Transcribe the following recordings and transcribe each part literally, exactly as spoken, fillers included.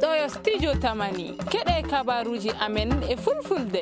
Ɗo yo studio Tamani, keɗee kabaaruuji amen e fulfulde.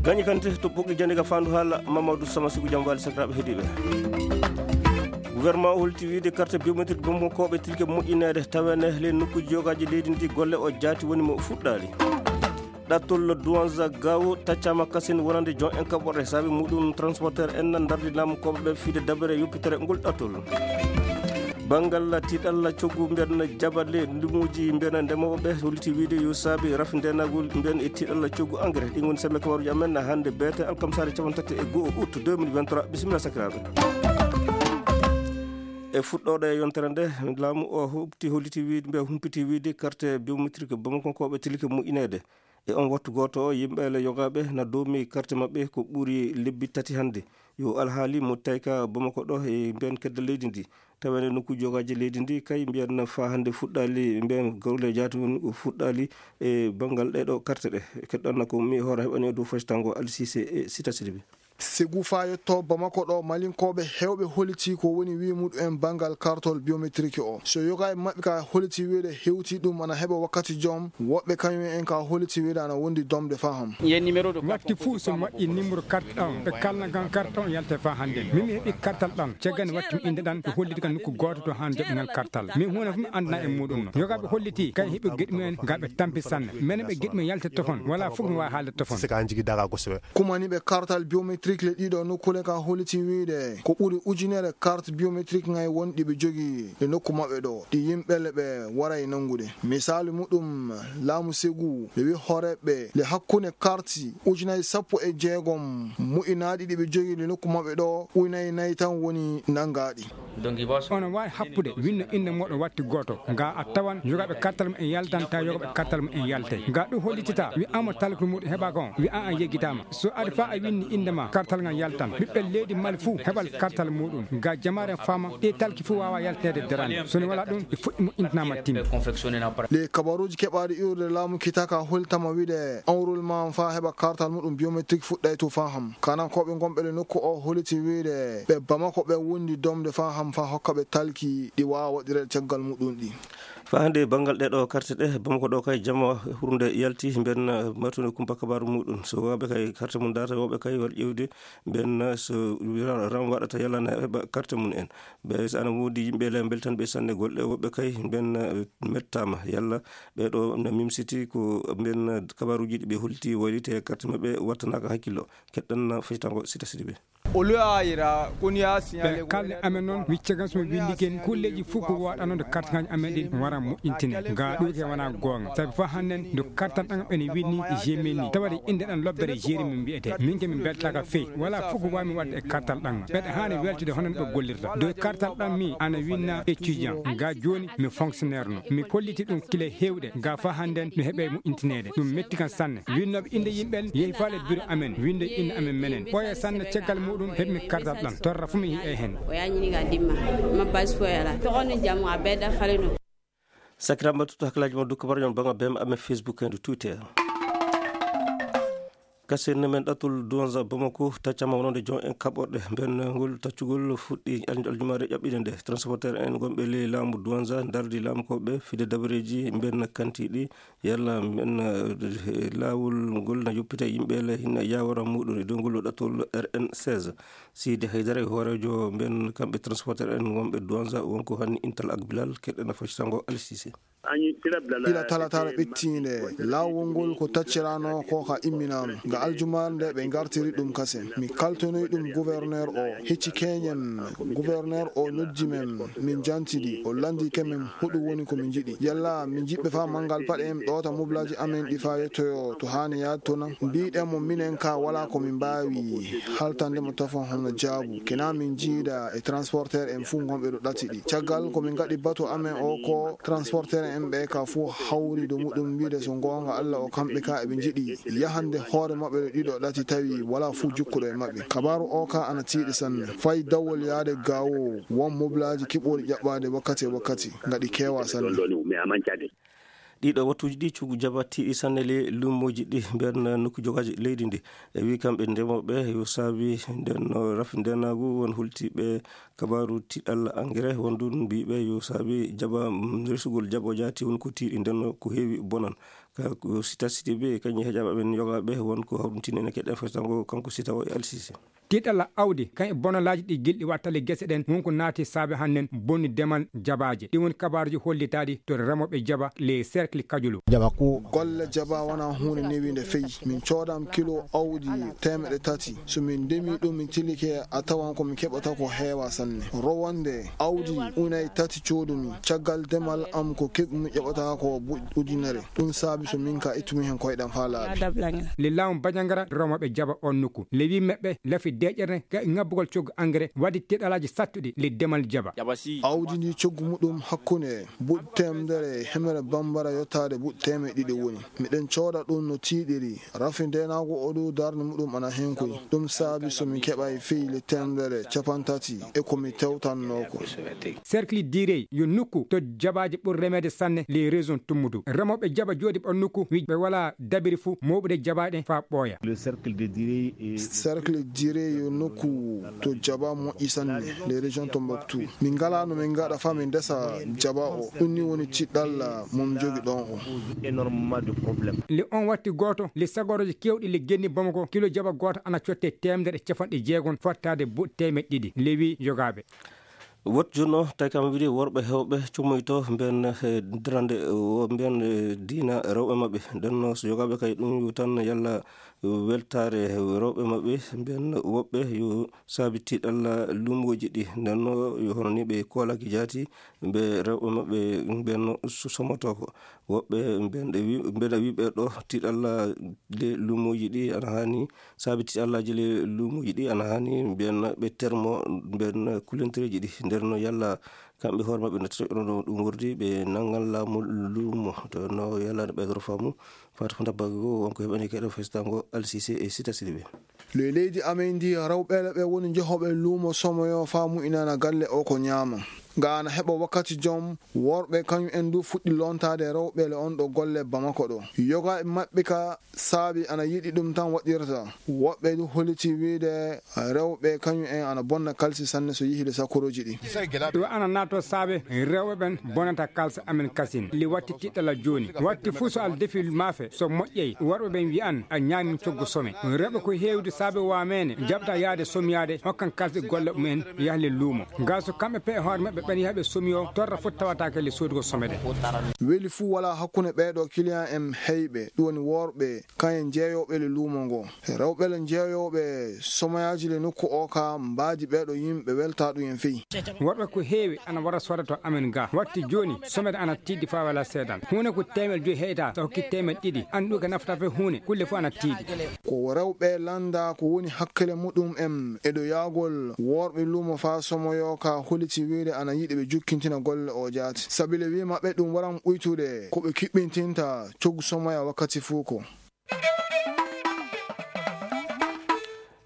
Gañi Kante to Ɓoggol Jannde ka Faandu Haala, Mamadou Sama Sigu Jam Waali sakiraaɓe heɗiiɓe. Gouvernement o holti wiide carte biométrique Bamakonkooɓe tilke moƴƴineede, taweede ley nokkuuji yogaaji leydi ndii, golle oo jaati woni mo fuɗɗaali. Ɗattol Douanza Gao taccaama kasen wonande jon en kaɓorɗe, saabi muuɗum transporteur en ndardi laamukooɓe ɓe fii de dabere yoppitere ngol ɗattol. Banngal tiiɗalla coggu mbiyen jabale ndumuuji mbiyen ndemooɓe ɓe holliti wiide yo saabi rafi ndeenagol mbiyen e tiiɗalla coggu engrais. Ɗin woni sembe kabaruuji amen hannde beete alkamsaare cappanɗe tati e go'o août deux mille vingt-trois. Bisimilla sakiraaɓe. E fuɗɗoode yontere nde, laamu o huɓti holliti wiide, mbiya humpiti wiide carte biométrique Bamakonkooɓe tilike moƴƴineede. E on wattu gooto o, yimɓe le yogaaɓe na doomi carte maɓɓe ko ɓuri lebbi tati hannde. Yo alhaali mo tawi ka Bamako ɗo e mbiyen kedde leydi ndi. Taweede nokkuuji yogaaji leydi ndi kay mbiyen faa hannde fuɗɗaali, mbiyen golle jaati woni o fuɗɗaali e banngal ɗee ɗoo carte ɗe. Keɗɗon na ko mi hoore heɓani e dow fasitango Alsise e Sita Sidibe. Segu faa yetto Bamako ɗo, Malinkooɓe heewɓe holiti ko woni wii muɗum en banngal kartol biométrique o. So yoga e maɓɓe ka holiti wiide hewti ɗum ana heɓa wakkati jom, woɓɓe kañum en ka holiti wiide ana wondi domde faham. Watti fuu so mi waɗɗii nimro carte ɗan, ɓe kalna kan carte on yalte faa hannde. Min mi heɓi kartal ɗan, caggal nde watti mi innde ɗan, ɓe holliti kan nokku gooto to haan joɓɓingal kartal. Min huunde fof mi anndanaa e muuɗum no. Yogaaɓe holliti, kay heɓi geɗi mumen, gaa ɓe tampi sanne. Menen ɓe geɗi mumen yalte tofon, walaa fof mi waawi haalde tofon. Kumaniiɓe kartal biométrique le ɗiɗo nokkuule ka holiti wiide ko ɓuri ujunere carte biométrique ŋay won ɗi ɓe jogii e nokku maɓɓe ɗo, ɗi yimɓe le ɓe waray nanngude. Misaalu muɗum, laamu Segu, ɓe wi hooreeɓe le hakkunde carte ujunaaji sappo e jeegom moƴƴinaaɗi ɗi ɓe jogii le nokku maɓɓe ɗo, ujunaaji nayi tan woni nanngaaɗi. Onon waawi happude, winno innde mooɗon watti gooto. Gaa a tawan yogaaɓe kartal mumen yaltan, tawa yogaaɓe kartal mumen yaltay. Gaa ɗum hollitata, wi'aama talku muuɗum heɓaaka on, wi'aa an yeggitaama. So ari faa a winni innde maa, kartal ngal yaltan. Ɓiɓɓe leydi Mali fuu heɓan kartal muuɗum. Gaa jamaare faama, ɗii talki fuu waawaa yalteede daraade. So ne walaa ɗum, ɗi fuɗɗi moƴƴintinaama timmi. Ɗii kabaruuji keɓaaɗi iwrude laamu Kitaka holtama wiide, enrôlement faa heɓa kartal muuɗum biométrique fuɗɗay to faa ham. Kanankooɓe ngonɓe le nokku o holiti wiide, ɓe Bamako ɓe wondi domde faa ham faa hokka ɓe talki ɗi waawa waɗireede caggal muuɗum ɗi. Faa hannde banngal ɗee ɗoo carte ɗe, Bamako ɗo kay jama hurnde yalti, mbiyen, eh, martude kumpa kabaaru muuɗum. So woɓɓe kay carte mum darata, woɓɓe kay waɗi ƴeewde, mbiyen, eh, so ra-, ram waɗata yalla na heɓa carte mum en. Ɓe so ana woodi yimɓe le mbeltan ɓe sanne golle, woɓɓe kay mbiyen, eh, mettaama. Yalla ɓee ɗoo na mimsiti ko mbiyen, eh, kabaaruuji ɗi ɓe holliti wayliti e carte maɓɓe wattanaaka hakkillo. Keɗɗon fasitango Sita Sidibe. Ɓe kalni amen noon, wicce kam so mi winndike en, kulleeji fof ko waɗanoo nde kartaaji amen ɗin wara moƴƴintine. Gaa ɗum ke wonaa goonga. Sabi faa hannden nde kartal ɗan ene winndi Gemini. Tawade innde ɗan lobbere Jérémie mbiyetee. Min ke mi mbeltaaka fey. Walaa fof ko waawmi waɗde e kartal ɗan. Ɓeɗe haani weltude hono no ɓe gollirta. Dow kartal ɗan mi ana winna étudiant. Gaa jooni mi fonctionnaire no. Mi holliti ɗum kile heewɗe. Gaa faa hannden no heɓe moƴƴintineede. Ɗum metti kan sanne. Winnooɓe innde yimɓe en yehi faale biro amen, winnde innde amen menen. Ɓooya sanne caggal muuɗum heɓmi kartal ɗan. Torra fuu mi yi'ay hen. O yañini ka dimma. Ma basi foy ala. Toxo ni jamu a bedda fale no. Sakiraaɓe, mbaɗtu hakkillaaji mon dow kabaaruuji mon banngal B M amen Facebook e dow Twitter. Kasen men ɗattol Douanza Bamako taccama wonande jon en kaɓorɗe. Mben ngol taccugol fuɗɗi al-, aljumaare ƴaɓɓiinde nde. Transporteur en gonɓe ley laamu Douanza ndardi laamukooɓe fide dabareeji mben kantiiɗi. Yalla mben, eh, laawol ngol na yoppita yimɓe le hinna yaawara muuɗum e dow ngol ɗattol R N seize. Sidi Haydara e hooreejo mben kamɓe transporteur en wonɓe Douanza wonko hanni Intal ak Bilal keɗɗen a fasitango Al Sise. Ila talataare ɓettiinde, laawol ngol ko tacciraanoo ko ka imminaama. Nga aljumaare nde ɓe ngartiri ɗum kasen. Mi kaltonoyi ɗum gouverneur o, hecci keñen. Gouverneur o noddi men, min jantidi. O lanndike men hoɗum woni ko min njiɗi. Yalla min njiɗɓe faa manngal paɗe en ɗoota moblaaji amen ɗi faa yettoyoo to haani yaade to nan? Mbiiɗen mo minen kaa walaa ko min mbaawi haltande mo tafon hono jaabu. Kena min njiida e transporteur en fuu ngonɓe ɗo ɗati ɗi. Caggal ko min ngaɗi batu amen o ko transporteur en ɓe ka fuu hawri dow muɗum wiide so ngoonga Alla o kamɓe ka eɓe njiɗi yahande hoore maɓɓe ɗo ɗiɗo ɗati tawi walaa fuu jukkuɗo e maɓɓe. Kabaaru o ka ana tiiɗi sanne. Fay dawol yaade gaawo won moblaaji kiɓɓooɗi ƴaɓɓaade wakkati e wakkati ngaɗi keewaa sanne. Ɗiɗo wattuuji ɗi, coggu jaaba tiiɗi sanne ley luumooji ɗi, mbiyan nokku jogaaji leydi ndi. E wii kamɓe ndemooɓe yo saabi nden no rafi ndeenaagu won hultiiɓe kabaaru tiiɗalla engrais, won ɗun mbiiɓe yo saabi jaaba, mm, resugol jaaba o jaati won ko tiiɗi, nden no ko heewi bonan. Ka ko sita siti ɓe, kañum e heƴaaɓe ɓen yogaaɓe won ko hawrintini ene keɗen faytango kanko sita o e L C C. Tiiɗalla awdi, kañ e bonalaaji ɗi gilɗi waɗta le gese ɗen, won ko naati saabe hannden bonni demal jabaaje. Ɗi woni kabaaruuji hollitaaɗi to remooɓe jaba le cercle Kajulu. Jaba ko golle jaba wonaa huunde newiinde fey. Min coodam kilo awdi teemeɗɗe tati. So min ndemii ɗum, min tilike a tawan ko min keɓata ko heewaa sanne. Rowannde awdi unay tati coodumi. Caggal demal am ko keɓmi ƴoɓata ko bu-, ujunere. Ɗum saabi so min ka ittumi hen koyɗam faa laaɓi. Le laamu Bajangara remooɓe jaba on nokku. Le wii meɓɓe lafi deeƴere ka ŋabbugol coggu engrais waddi tiiɗalaaji sattuɗi le demal jaba. Awdi ndi coggu muɗum hakkunde buɗ teemedere e hemere bambara yottaade buɗ teemeɗɗe ɗiɗi woni. Miɗen cooda ɗum no tiiɗiri. Rafi ndeenaagu o ɗu darnde muɗum ana henkoy. Ɗum saabi so mi keɓay fey le teemedere capantati e ko mi tewtannoo ko. Cercle Direy yo nokku to jabaaji ɓuri remeede sanne ley région Tummudu. Remooɓe jaba jooɗi ɓon nokku wi ɓe walaa dabiri fuu mooɓude jabaaɗe faa ɓooya. Le cercle de Direy est cercle Direy yo nokku to jaba moƴƴi sanne ley région Tombouctou. Min ngalaa no min ngaɗa faa min ndesa jaba o. Ɗum ni woni tiɗɗalla mo mi jogi ɗon o. Énormément de problèmes. Le on watti gooto le sagorooji keewɗi le genni Bamako kilo jaba gooto ana cotte teemedere e capanɗe jeegom fottaade buɗ teemeɗɗe ɗiɗi. Le wii yogaaɓe. Wot jooni o, tawi kam wiide worɓe heewɓe cummoyto mbiyan, eh, darande, eh, wo mbiyan, eh, diina rewɓe maɓɓe. Nden no so yogaaɓe kay ɗum yo tan yalla weltaare rewɓe maɓɓe, mbiyan woɓɓe yo saabi tiiɗalla luumooji ɗi. Nden no yo hono ni ɓe koolaaki jaati, ɓe rewɓe maɓɓe mbiyan so-, somotoo ko. Woɓɓe mbiyan ɗe wi-, mbiyan a wii ɓe ɗo tiiɗalla le luumooji ɗi ana haani Saabi tiiɗallaaji le luumooji ɗi ana haani mbiyen ɓe termo mbiyen kulentereeji ɗi. Nden no yalla kamɓe hoore maɓɓe no tawno ɗum wordi ɓe nanngan laamu luumo. To no yalla no ɓeydoro faamu. Fata ko ndabbaaki goo won ko heɓani keɗo fesitango Alsise e Sita Sidibe. Ley leydi amen ndi, rewɓe ɓe woni jehooɓe luumo somoyo faa mu'inana galle oo ko ñaama. Nga ana heɓa wakkati jom, worɓe kañum en duu fuɗɗi lontaade rewɓe le on ɗo golle Bamako ɗo. Yoga e maɓɓe ka saabi ana yiɗi ɗum tan waɗirta. Woɓɓe duu hollitii wiide rewɓe kañum en ana bonna kalsi sanne so yehii le sakkorooji ɗi. Ɗum ana naatoo saabe rewɓe ɓen bonata kalsi amen kasin. Li watti tiɗɗala jooni. Watti fuu so al defi maafe so moƴƴay, worɓe ɓen wi'an a ñaami coggu some. Rewɓe ko heewde saabe waameene jaɓta yaade somyaade hokkan kalsi golle mum en yaha le luumo. Gaa so kamɓe pe e hoore maɓɓe ɓen yaha ɓe somiyoo torra foti tawataake le soodugo some ɗen. Weli fuu walaa hakkunde ɓee ɗoo kiliyan en heyɓe, ɗum woni worɓe, kañen jeeyooɓe le luumo ngoo. Rewɓe le jeeyooɓe somoyaaji le nokku oo kaa mbaadi ɓee ɗoo yimɓe weltaa ɗum en fey. Worɓe ko heewi ana wara sooda to amen gaa. Watti jooni, somede ana tiiɗi faa walaa seedan. Huunde ko teemedde joy heytaa, so hokki teemedde ɗiɗi. Anndu ka nafata fey huunde, kulle fof ana tiiɗi. Ko rewɓe lannda ko woni hakkile muɗum en e ɗo yaagol worɓe luumo faa somoyoo ka holiti wiide ana yiɗi ɓe jukkintina golle oo jaati. Sabi le wii maɓɓe ɗum waran ɓuytude ko ɓe kiɓɓintinta coggu somoya wakkati fuu ko.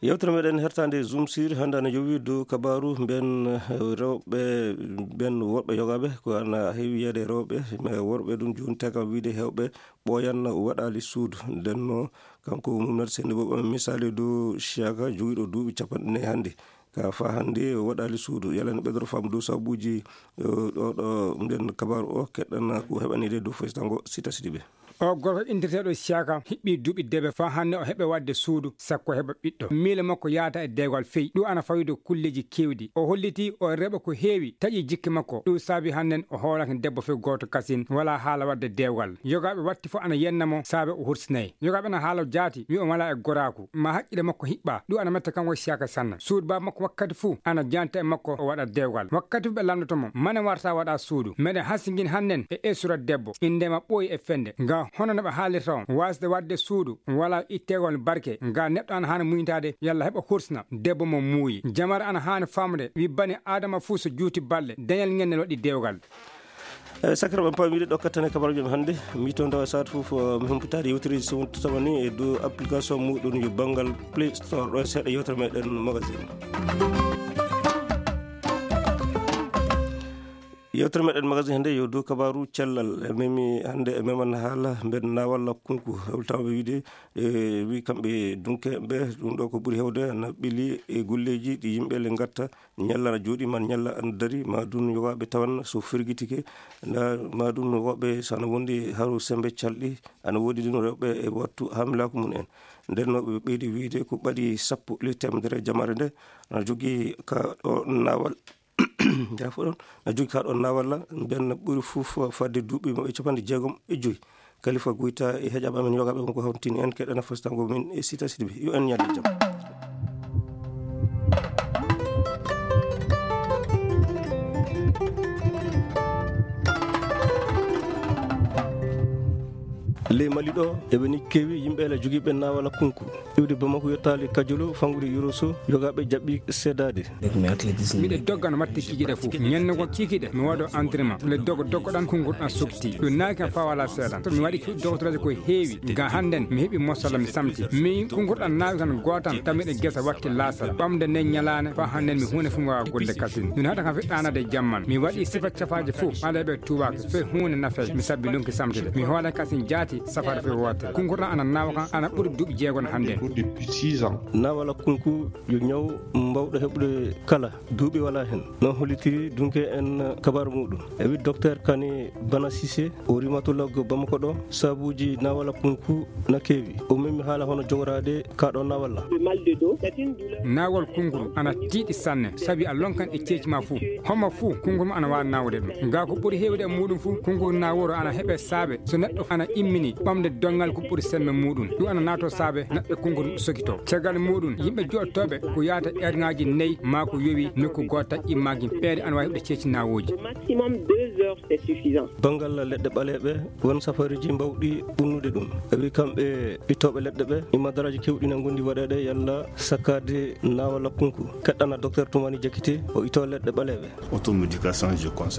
Yewtere meɗen hertaande Zoom Sir hannde ana yowii dow kabaaru mbiyen, eh, rewɓe, mbiyen worɓe yogaaɓe, ko ana heewi yiyeede e rewɓe, mais worɓe ɗum jooni tawi kam wiide heewɓe ɓooyan waɗaali suudu. Nden no kanko Mouhamed Seyni Bobo misaali dow Siaka jogiiɗo duuɓi capanɗe nayi hannde. Ka faa hannde o waɗaali suudu. Yalla ne ɓeydoro faamu dow sabuuji, eh, ɗo, ɗo mbiyen kabaaru o keɗɗana ko heɓaniiɗe dow faytango Sita Sidibe. Oo gorko inndirteeɗo Siaka hiɓɓii duuɓi deebe faa hannde o heɓe waɗde suudu sakko heɓa ɓiɗɗo. Miile makko yaata e deewal fey. Ɗum ana fawii dow kulleeji keewɗi. O hollitii oo rewɓe ko heewi taƴii jikke makko. Ɗum saabi hannden o hoolaaki debbo fey gooto kasin, walaa haala waɗde deewal. Yogaaɓe watti fof ana yenna mo saabe o hursinay. Yogaaɓe ana haala jaati, wi o walaa e goraaku. Ma haqqille makko hiɓɓa. Ɗum ana metta kanko Siaka sanne. Suudu baaba makko wakkati fuu ana janta e makko o waɗa deewal. Wakkati fuu ɓe lanndotoo mo, mane warta waɗa suudu. Meɗen hasingini hannden e esura debbo. Innde ma ɓooyi e fende. Nga hono no ɓe haalirta on. Waasde waɗde suudu, walaa itteegol barke. Nga neɗɗo ana haani muñitaade, yalla heɓa hursina debbo mo muuyi. Jamare ana haani faamude, wi bani Aadama fuu so juuti balɗe, dañal ngel ne waɗi deewgal. Eh, sakiraaɓe, en paamii ɗo kattane kabaaruuji men hannde. Mi to ndawa saatu fof, eh, mi humpitaade yewtereeji so wonti tawani e dow application muuɗum yo banngal Play Store. Ɗo e seeɗa yewtere meɗen magazine. Yewtere meɗen magasin hannde yo dow kabaaru cellal. E memi hannde e meman haala mben naawal kunku. Hewltaama ɓe wiide, e wi kamɓe dunke ɓe, ɗum ɗo ko ɓuri hewde na ɓili e golleeji ɗi yimɓe le ngatta, ñalla na jooɗi, man ñalla ana dari, ma ɗum yogaaɓe tawan so firgitike, nda ma ɗum woɓɓe so ana wondi haru sembe calɗi, ana woodi ɗum rewɓe e wattu hamilaaku mum en. Nden no ɓe ɓeydi wiide ko ɓadi sappo le temedere jamare nde, ana jogii ka ɗo naawal. Jaafoɗon, na jogi kaa ɗoon naawalla, mbiyan na ɓuri fof fadde duuɓi maɓɓe capanɗe jeegom e joy. Kalifa Goyta e heƴaaɓe amen yogaaɓe won ko hawtini en, keɗana fastango min e Sita Sidibé. Yo en ñande jam. Ley Mali ɗo, eɓe ni keewi yimɓe ala jogiiɓe naawala kunku. Iwde Bamako yottaali Kajolo, fanngude Yoroso, yogaaɓe jaɓɓi seedaade. Miɗo dogga no watta kikiiɗe fof. Ñannde goo kikiiɗe, mi waɗo entraînement. Miɗo dogga, dogga ɗan, kunnguɗi ɗan sokti. Ɗum naaki kam faa walaa seedan. So mi waɗi cuuɗi doktoraaji ko heewi. Ga hannden, mi heɓi mosalla, mi samti. Mi kunnguɗi ɗan naaki tan gootan, tawi miɗo gesa watti laasara. Ɓamde nden ñalaande, faa hannden mi huunde fof mi waawaa golle kasin. Ɗum haɗa kam fiɗɗaanade jamman. Mi waɗi sifa cafaaji fof, ɓaleeɓe tuubaaka. Fay huunde nafay, mi sabbi lonki samtude. Mi hoole kasin jaati, safara fay wootere. Kunnguɗi ɗan ana naawa kam, ana ɓuri duuɓi jeegom hannden. Naawala kunku yo ñaw mbawɗo heɓude kala, duuɓi walaa hen. No hollitiri dunke en kabaaru muɗum. E wi Docteur Kane Bana Cissé, o rhumatologue Bamako ɗo, sabuuji naawala kunku na keewi. O memi haala hono jogoraade kaa ɗo naawalla. Naawol kunku ana tiiɗi sanne, sabi a lonkan e ceeci ma fuu. Homo fuu kunku ma ana waawi naawude ɗum. Gaa ko ɓuri heewde e muɗum fuu, kunku naaworo ana heɓe saabe. So neɗɗo ana immini ɓamde donngal ko ɓuri semme muuɗum, ɗum ana naatoo saabe neɗɗo konngol sokitoo. Caggal muuɗum, yimɓe joɗotooɓe ko yaata eerŋaaji nayi maa ko yowi nokku gooto, taƴi maa gimpeede ana waawi heɓde ceeci naawooji. Banngal leɗɗe ɓaleeɓe, won safaariiji mbaawɗi ɓunnude ɗum. E wi kamɓe ittooɓe leɗɗe ɓe, imadaraaji keewɗi na ngondi waɗeede yalla sakkaade naawala kunku. Keɗɗana Docteur Toumani Diakité, o ittoo leɗɗe ɓaleeɓe.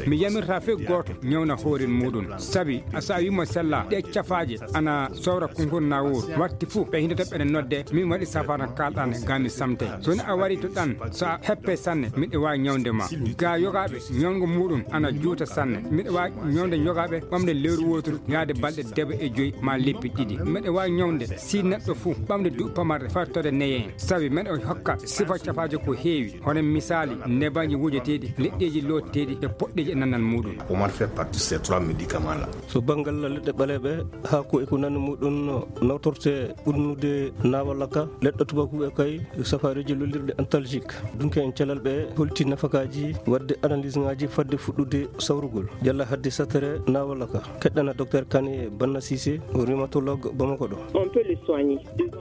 Mi yamirtaa fay gooto ñawna hoore muuɗum. Sabi, a, so a wii mo sella, ɗee cafaaje ana sowra konngol naawol. Watti fuu, ɓe hindata ɓeɗe nodde, min waɗi safara kaalɗan, gaa mi samtay. So ni a warii to ɗan, so a heppee sanne, miɗo waawi ñawde ma. Gaa yogaaɓe, ñawngo muuɗum ana juuta sanne. Miɗo waawi ñawnde yogaaɓe ɓamde lewru wooturu, yaade balɗe debe e joy, maa lebbi ɗiɗi. Miɗo waawi ñawnde si neɗɗo fuu ɓamde duuɓi pamarɗe faa tode neye en. Sabi miɗo hokka sifa cafaaje ko heewi. Hono misaali, nebaaji wujeteeɗi, leɗɗeeji looteteeɗi e poɗɗeeji e nannal muuɗum. Omar fait partie de ces trois médicaments-là. So banngal leɗɗe ɓaleeɓe, haako e ko nanndi muuɗum nawtorte ɓunnude naawalla ka, leɗɗe tubakuuɓe kay, safaariiji lollirɗe antalgique. Dunke en calal ɓe holti nafakaaji waɗde analyse-ŋaaji fadde fuɗɗude sawrugol, yalla hadde satere naawalla ka. Keɗɗana Docteur Kane Banna Cissé, rhumatologue Bamako ɗo. On peut le soigner.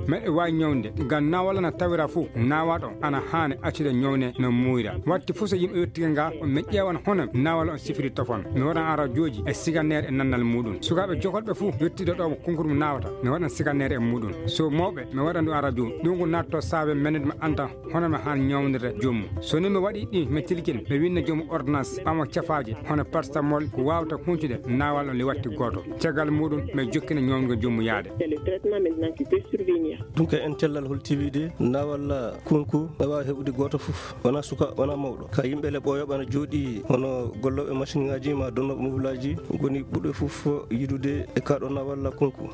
Meɗe waawi ñawnde, ngam naawal ana tawira fuu, naawaaɗo ana haani accude ñawnde no muuyra. Watti fuu so yimɓe yottike nga, mi ƴeewan hono naawal on sifiri tofon. Mi waɗan arajooji e siganeer e nannal muuɗum. Sukaaɓe jokolɓe fuu yottiiɗo ɗo ko kunkurmu naawata, mi waɗan siganeer e muuɗum. So mawɓe, mi waɗan ɗum arajoo. Ɗum ko naatto saabe mennude mi annda hono mi haan ñawndirde joomum. So ni mi waɗii ɗi, mi tilkin, mi winna joomum ordonnance, ɓama cafaaje, hono paracétamol, ko waawata huncude naawal on ley watti gooto. Caggal muuɗum, mi jokkina ñawngol joomum yaade. C'est le traitement maintenant qui peut survenir. Ɗum kay en cellal hol tiwiide naawal kunku, ɓe waawi heɓude gooto fof, wonaa suka, wonaa mawɗo. Ka yimɓe le ɓooyooɓe ana jooɗii hono gollooɓe masiŋaaji maa donnooɓe mobilaaji, ngoni ɓurɓe fof yiɗude e kaa ɗoo naawal kunku.